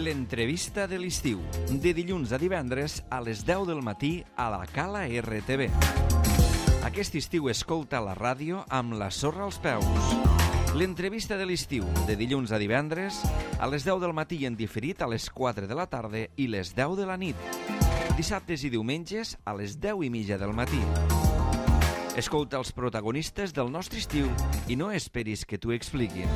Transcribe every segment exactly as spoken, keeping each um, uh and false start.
L'entrevista de l'estiu, de dilluns a divendres a les deu del matí a la Cala R T V. Aquest estiu escolta la ràdio amb la sorra als peus. L'entrevista de l'estiu, de dilluns a divendres a les deu del matí i en diferit a les quatre de la tarda i les deu de la nit. Dissabtes i diumenges a les deu i mitja del matí. Escolta els protagonistes del nostre estiu i no esperis que t'ho expliquin.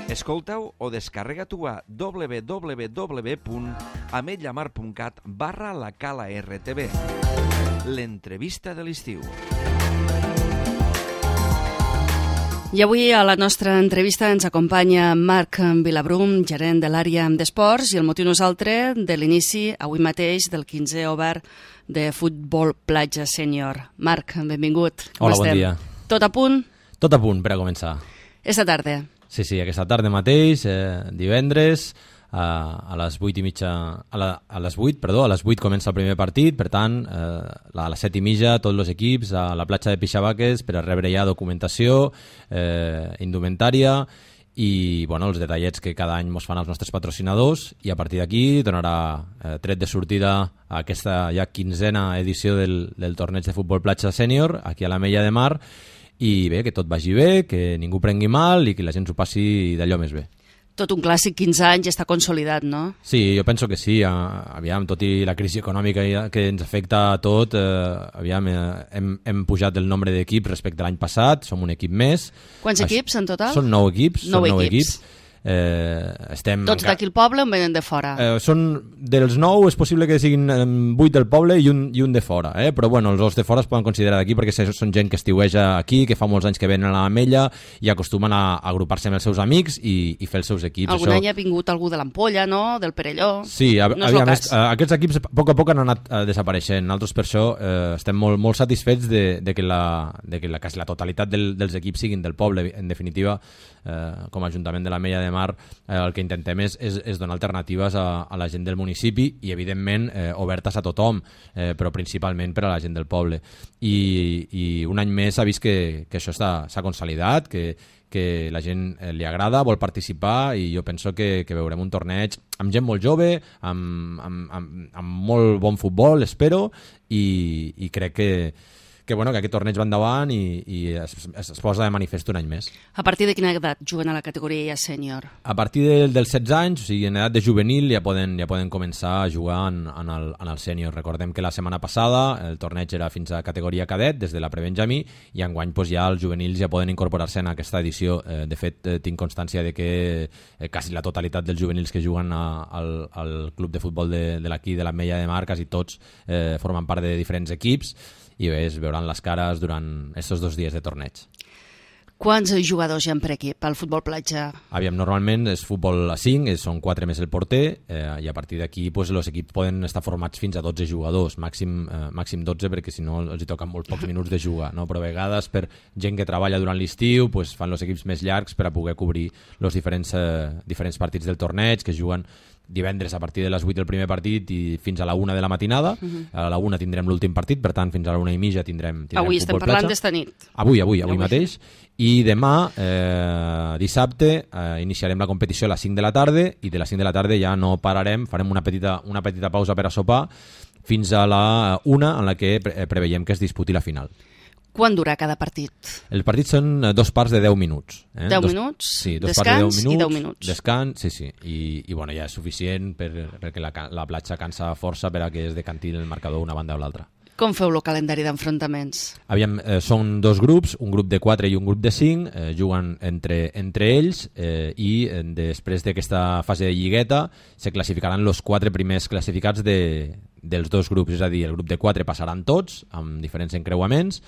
Escolta-ho o descarrega-t'ho a w w w punt ametlla mar punt cat barra la Cala R T V. L'entrevista de l'estiu. I avui a la nostra entrevista ens acompanya Marc Vilabrum, gerent de l'àrea d'esports, i el motiu no és altre de l'inici, avui mateix, del quinzè obert de futbol platja sènior. Marc, benvingut. Hola, bon dia. Tot a punt? Tot a punt per a començar. Esta tarda. Sí, sí, aquesta tarda mateix, eh, divendres, a, a les vuit i mitja, a, la, a les vuit, perdó, a les vuit comença el primer partit, per tant, eh, a les set i mitja tots els equips a la platja de Pixabaques per a rebre ja documentació, eh, indumentària i bueno, els detallets que cada any ens fan els nostres patrocinadors, i a partir d'aquí donarà eh, tret de sortida a aquesta ja quinzena edició del, del torneig de futbol platja sènior aquí a l'Ametlla de Mar. I bé, que tot vagi bé, que ningú prengui mal i que la gent s'ho passi d'allò més bé. Tot un clàssic, quinze anys, està consolidat, no? Sí, jo penso que sí. Aviam, tot i la crisi econòmica que ens afecta a tot, eh, aviam, eh, hem, hem pujat el nombre d'equips respecte a l'any passat, som un equip més. Quants Així, equips en total? Són nou equips. Nou són nou equips. equips. Eh, estem Tots d'aquí al poble o venen de fora? Eh, són dels nou, és possible que siguin eh, vuit del poble i un, i un de fora, eh? Però bueno, els de fora es poden considerar d'aquí perquè són gent que estiueja aquí, que fa molts anys que venen a l'Ametlla i acostumen a, a agrupar-se amb els seus amics i, i fer els seus equips. Algun Això... any ha vingut algú de l'Ampolla, no? Del Perelló? Sí, a, no aviam, és, aquests equips a poc a poc han anat uh, desapareixent. Nosaltres per això eh, estem molt, molt satisfets de, de que, la, de que la, quasi la totalitat del, dels equips siguin del poble. En definitiva, eh, com a Ajuntament de l'Ametlla de Mar, eh, el que intentem és, és, és donar alternatives a, a la gent del municipi i, evidentment, eh, obertes a tothom, eh, però principalment per a la gent del poble. I, i un any més s'ha vist que, que això s'ha consolidat, que, que la gent eh, li agrada, vol participar, i jo penso que, que veurem un torneig amb gent molt jove, amb, amb, amb, amb molt bon futbol, espero, i, i crec que que, bueno, que aquest torneig va endavant i, i es, es, es posa de manifest un any més. A partir de quina edat juguen a la categoria ja sènior? A partir del, dels setze anys, o sigui, en edat de juvenil, ja poden, ja poden començar a jugar en, en, el, en el sènior. Recordem que la setmana passada el torneig era fins a categoria cadet, des de la prebenjamí, i enguany pues, ja els juvenils ja poden incorporar-se en aquesta edició. Eh, de fet, eh, tinc constància de que eh, quasi la totalitat dels juvenils que juguen a, al, al club de futbol de, de l'aquí, de l'Ametlla de Mar, quasi tots eh, formen part de diferents equips, i bé, es veuran les cares durant aquests dos dies de torneig. Quants jugadors hi ha per equip al futbol platja? Aviam, normalment és futbol a cinc, són quatre més el porter, eh, i a partir d'aquí pues, els equips poden estar formats fins a dotze jugadors, màxim, eh, màxim dotze, perquè si no els hi toquen molt pocs minuts de jugar, no? Però a vegades per gent que treballa durant l'estiu pues, fan els equips més llargs per a poder cobrir els diferents, eh, diferents partits del torneig, que juguen divendres a partir de les vuit del primer partit i fins a la una de la matinada. Uh-huh. A la una tindrem l'últim partit, per tant fins a la una i mitja tindrem, tindrem avui futbol estem parlant platja. d'esta nit. Avui, avui, avui, avui mateix. I demà, eh, dissabte, eh, iniciarem la competició a les cinc de la tarda, i de les cinc de la tarda ja no pararem, farem una petita, una petita pausa per a sopar fins a la una, en la que pre preveiem que es disputi la final. Quan dura cada partit? Els partits són dos parts de deu minuts. Eh? deu dos, minuts? Sí, dos descans parts de deu minuts, i deu minuts. Descans, sí, sí. I, i bueno, ja és suficient per, perquè la, la platja cansa força per a que es decanti el marcador una banda o l'altra. Com feu el calendari d'enfrontaments? Aviam, eh, són dos grups, un grup de quatre i un grup de cinc, eh, juguen entre, entre ells eh, i eh, després d'aquesta fase de lligueta se classificaran els quatre primers classificats de, dels dos grups, és a dir, el grup de quatre passaran tots amb diferents encreuaments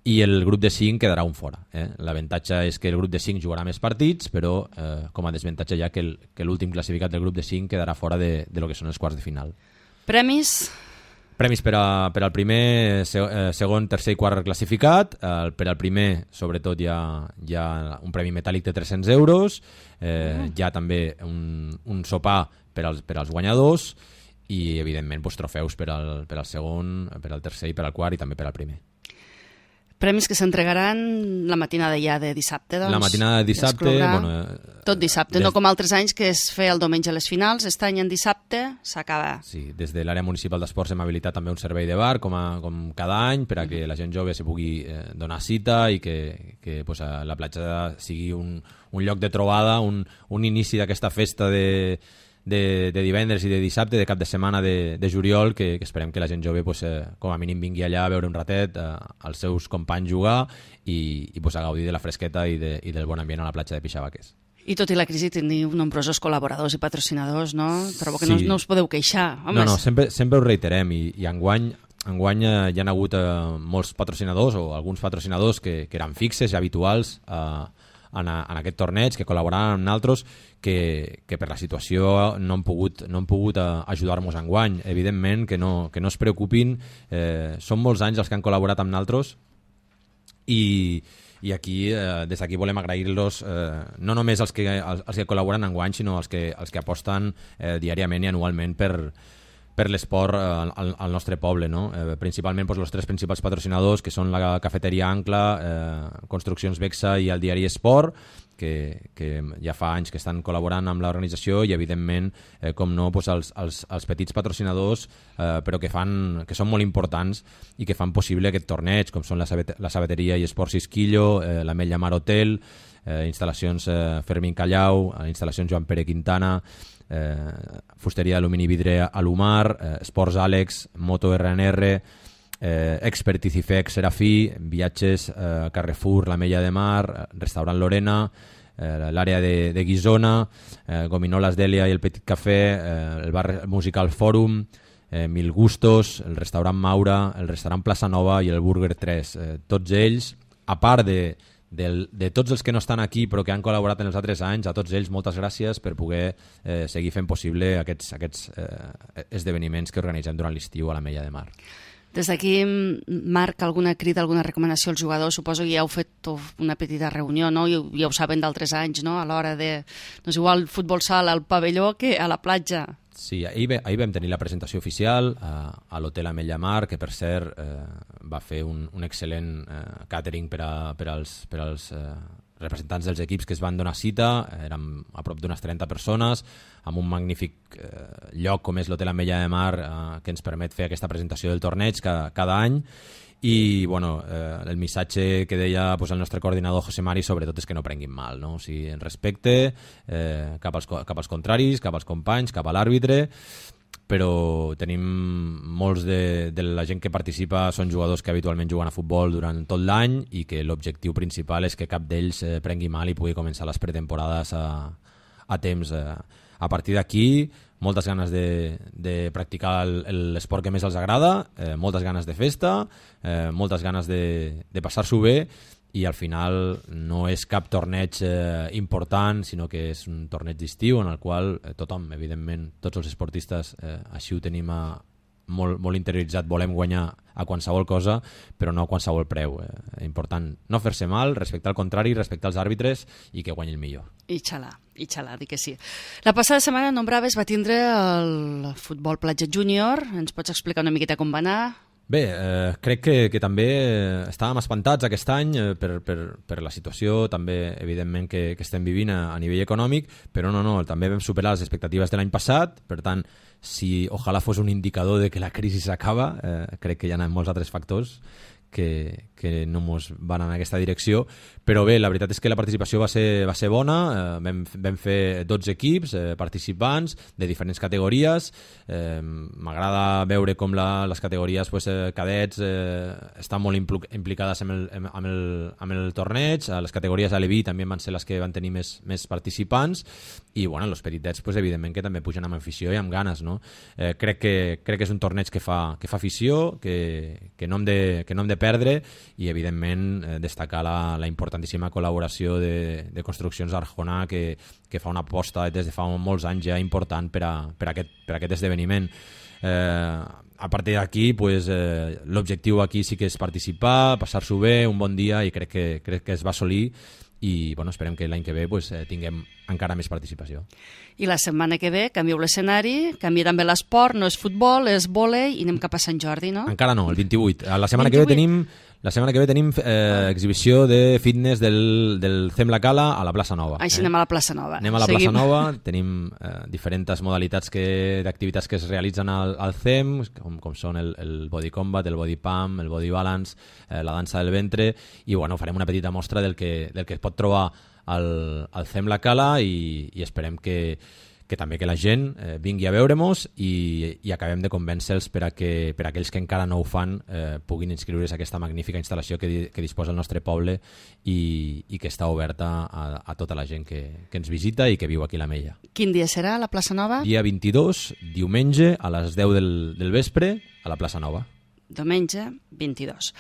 i el grup de cinc quedarà un fora. Eh? L'avantatge és que el grup de cinc jugarà més partits, però eh, com a desavantatge ja que, el, que l'últim classificat del grup de cinc quedarà fora de, de lo que són els quarts de final. Premis? Premis per, a, per al primer, segon, tercer i quart classificat. Eh, per al primer, sobretot, hi ha, hi ha un premi metàl·lic de tres-cents euros, eh, mm. hi ha també un, un sopar per als, per als guanyadors i, evidentment, pues, trofeus per al, per al segon, per al tercer i per al quart i també per al primer. Premis que s'entregaran la matinada ja de dissabte, doncs. La matinada de dissabte... Bueno, tot dissabte, des... no com altres anys que es feia el diumenge a les finals, aquest any en dissabte s'acaba. Sí, des de l'àrea municipal d'esports hem habilitat també un servei de bar, com, a, com cada any, per a que la gent jove se pugui eh, donar cita i que, que pues, la platja sigui un, un lloc de trobada, un, un inici d'aquesta festa de... De, de divendres i de dissabte, de cap de setmana de, de juliol, que, que esperem que la gent jove pues, eh, com a mínim vingui allà a veure un ratet, eh, als seus companys jugar i, i pues, a gaudir de la fresqueta i, de, i del bon ambient a la platja de Pixavaques. I tot i la crisi teniu nombrosos col·laboradors i patrocinadors, no? Trobo que sí. no, no us podeu queixar. Home, no, no, sempre, sempre ho reiterem i, i enguany, enguany eh, hi ha hagut eh, molts patrocinadors o alguns patrocinadors que, que eren fixes i habituals eh, en, a, en aquest torneig, que col·laboraven amb nosaltres, que, que per la situació no han pogut, no han pogut uh, ajudar-nos enguany. Evidentment que no, que no es preocupin, eh, són molts anys els que han col·laborat amb nosaltres i, i aquí, eh, des d'aquí volem agrair-los eh, no només els que, els, els que col·laboren enguany, sinó els que, els que aposten eh, diàriament i anualment per, per l'esport al, al nostre poble, no? Eh, principalment doncs, els tres principals patrocinadors, que són la cafeteria Ancla, eh, Construccions Bexa i el diari Esport, que, que ja fa anys que estan col·laborant amb l'organització i, evidentment, eh, com no, doncs, els, els, els petits patrocinadors, eh, però que, fan, que són molt importants i que fan possible aquest torneig, com són la, sabet la sabateria i Esports Isquillo, eh, l'Ametlla Mar Hotel, eh, instal·lacions eh, Fermín Callau, instal·lacions Joan Pere Quintana, Eh, fusteria d'alumini vidre Alumar, eh, Esports Àlex, Moto R N R, eh, Expertiz I F E C Serafí, Viatges eh, Carrefour, la Mella de Mar, Restaurant Lorena, eh, l'àrea de, de Guisona, eh, Gominolas Dèlia i el Petit Cafè, eh, el bar musical Fòrum, eh, Mil Gustos, el restaurant Maura, el restaurant Plaça Nova i el Burger tres. Eh, tots ells, a part de De, de tots els que no estan aquí però que han col·laborat en els altres anys, a tots ells moltes gràcies per poder eh, seguir fent possible aquests, aquests eh, esdeveniments que organitzem durant l'estiu a la Mella de Mar. Des d'aquí, Marc, alguna crida, alguna recomanació als jugadors? Suposo que ja heu fet una petita reunió, no? I ja ho saben d'altres anys, no? A l'hora de... No és igual futbol sala al pavelló que a la platja. Sí, ahir, ahir vam tenir la presentació oficial a, a l'Hotel Ametlla Mar, que per cert eh, va fer un, un excel·lent eh, càtering per, a, per als, per als eh, representants dels equips que es van donar cita. Érem a prop d'unes trenta persones, amb un magnífic eh, lloc com és l'Hotel Ametlla de Mar, eh, que ens permet fer aquesta presentació del torneig cada, cada any. I bueno, eh, el missatge que deia pues, el nostre coordinador José Mari sobretot és que no prenguin mal, no? O sigui, en respecte eh, cap, als, cap als contraris, cap als companys, cap a l'àrbitre, però tenim molts de, de la gent que participa són jugadors que habitualment juguen a futbol durant tot l'any i que l'objectiu principal és que cap d'ells eh, prengui mal i pugui començar les pretemporades a, a temps. Eh. A partir d'aquí, moltes ganes de, de practicar l'esport que més els agrada, eh, moltes ganes de festa, eh, moltes ganes de, de passar-s'ho bé i al final no és cap torneig eh, important, sinó que és un torneig d'estiu en el qual eh, tothom, evidentment, tots els esportistes, eh, així ho tenim a, molt, molt interioritzat, volem guanyar a qualsevol cosa, però no a qualsevol preu. Eh, important no fer-se mal, respectar el contrari, respectar els àrbitres i que guanyi el millor. I xalà, i xalà, dic que sí. La passada setmana Nombraves va tindre el futbol platja júnior. Ens pots explicar una miqueta com va anar? Bé, eh, crec que, que també estàvem espantats aquest any eh, per, per, per la situació, també evidentment que, que estem vivint a, a nivell econòmic, però no, no, també vam superar les expectatives de l'any passat, per tant, si ojalà fos un indicador de que la crisi s'acaba, eh, crec que hi ha molts altres factors que, que no ens van en aquesta direcció, però bé, la veritat és que la participació va ser, va ser bona, eh, vam, vam fer dotze equips eh, participants de diferents categories. eh, m'agrada veure com la, les categories pues, eh, cadets eh, estan molt implicades amb el, amb, el, amb el torneig. Les categories A L B també van ser les que van tenir més, més participants i bueno, els petitets pues, evidentment que també pugen amb afició i amb ganes, no? eh, crec, que, crec que és un torneig que fa, que fa afició, que, que, no hem de, que no hem de perdre i evidentment eh, destacar la, la importantíssima col·laboració de, de Construccions Arjona que, que fa una aposta des de fa molts anys ja important per a, per a, aquest, per a aquest esdeveniment. Eh, a partir d'aquí pues, eh, l'objectiu aquí sí que és participar, passar-s'ho bé, un bon dia i crec que, crec que es va assolir i bueno, esperem que l'any que ve pues, eh, tinguem encara més participació. I la setmana que ve canvieu l'escenari, canvia també l'esport, no és futbol, és vòlei i anem cap a Sant Jordi, no? Encara no, el vint-i-vuit. La setmana vint-i-vuit. Que ve tenim La setmana que ve tenim eh, exhibició de fitness del, del C E M La Cala a la plaça Nova. Així eh? anem a la plaça Nova. Anem a la Seguim. plaça Nova, tenim eh, diferents modalitats que, d'activitats que es realitzen al, al C E M, com, com són el, el body combat, el body pump, el body balance, eh, la dansa del ventre, i bueno, farem una petita mostra del que, del que es pot trobar al, al C E M La Cala i, i esperem que, que també que la gent eh, vingui a veure-mos i, i acabem de convèncer-los per a que per a aquells que encara no ho fan eh, puguin inscriure's a aquesta magnífica instal·lació que, di, que disposa el nostre poble i, i que està oberta a, a tota la gent que, que ens visita i que viu aquí a l'Ametlla. Quin dia serà a la plaça Nova? Dia vint-i-dos, diumenge, a les deu del, del vespre, a la plaça Nova. Diumenge, vint-i-dos.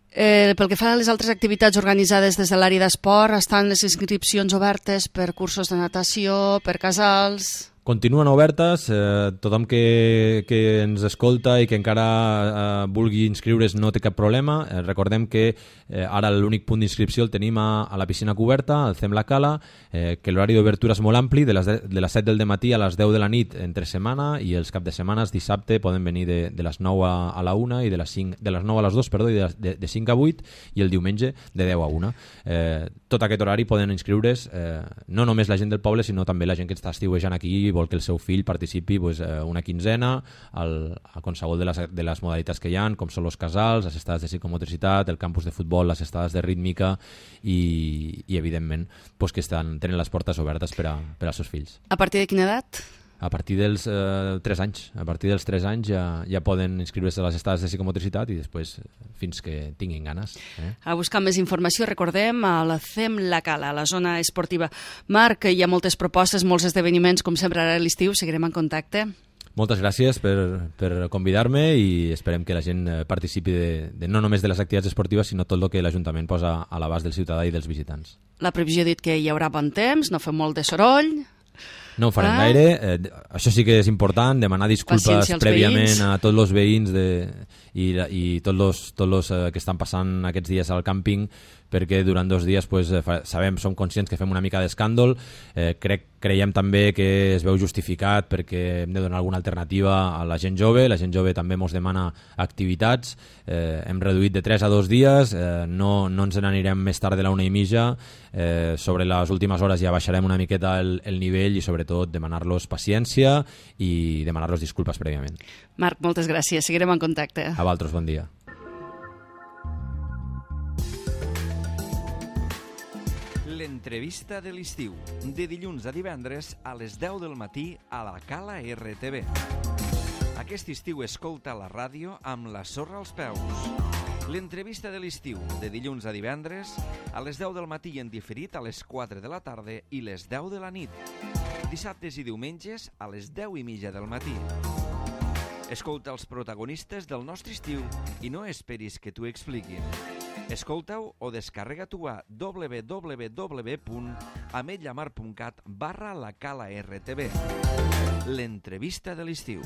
Eh, pel que fa a les altres activitats organitzades des de l'àrea d'esport, estan les inscripcions obertes per cursos de natació, per casals... Continuen obertes, eh, tothom que, que ens escolta i que encara eh, vulgui inscriure's no té cap problema. Eh, recordem que eh, ara l'únic punt d'inscripció el tenim a, a la piscina coberta, al C E M La Cala, eh, que l'horari d'obertura és molt ampli, de les, de, de les set del dematí a les deu de la nit entre setmana, i els cap de setmanes, dissabte, poden venir de, de les nou a, a la una i de les, cinc, de les nou a les dos, perdó, i de, de, de cinc a vuit, i el diumenge de deu a una. Eh, tot aquest horari poden inscriure's eh, no només la gent del poble, sinó també la gent que està estiuejant aquí i vol que el seu fill participi pues, una quinzena al, a qualsevol de les, de les modalitats que hi ha, com són els casals, les estades de psicomotricitat, el campus de futbol, les estades de rítmica i, i evidentment, pues, que estan, tenen les portes obertes per, a, per als seus fills. A partir de quina edat? A partir dels eh, tres anys. A partir dels tres anys ja, ja poden inscriure-se a les estades de psicomotricitat i després fins que tinguin ganes. Eh? A buscar més informació, recordem, a la C E M La Cala, a la zona esportiva. Marc, hi ha moltes propostes, molts esdeveniments, com sempre ara a l'estiu, seguirem en contacte. Moltes gràcies per, per convidar-me i esperem que la gent participi de, de no només de les activitats esportives, sinó tot el que l'Ajuntament posa a l'abast del ciutadà i dels visitants. La previsió ha dit que hi haurà bon temps, no fem molt de soroll... No ho farem ah. gaire. Eh, això sí que és important, demanar disculpes prèviament veïns. a tots els veïns de, i, i tots els tots los, eh, que estan passant aquests dies al càmping, perquè durant dos dies pues, fa, sabem, som conscients que fem una mica d'escàndol. Eh, crec, creiem també que es veu justificat perquè hem de donar alguna alternativa a la gent jove. La gent jove també ens demana activitats. Eh, hem reduït de tres a dos dies, eh, no, no ens n'anirem més tard de la una i mitja. Eh, sobre les últimes hores ja baixarem una miqueta el, el nivell i sobretot demanar-los paciència i demanar-los disculpes prèviament. Marc, moltes gràcies. Seguirem en contacte. A vosaltres, bon dia. L'entrevista de l'estiu, de dilluns a divendres a les deu del matí a la Cala R T V. Aquest estiu escolta la ràdio amb la sorra als peus. L'entrevista de l'estiu, de dilluns a divendres a les deu del matí i en diferit a les quatre de la tarda i les deu de la nit. Dissabtes i diumenges a les deu i mitja del matí. Escolta els protagonistes del nostre estiu i no esperis que t'ho expliquin. Escolta-ho o descarrega-t'ho a w w w punt ametlla mar punt cat barra la cala R T V. L'entrevista de l'estiu.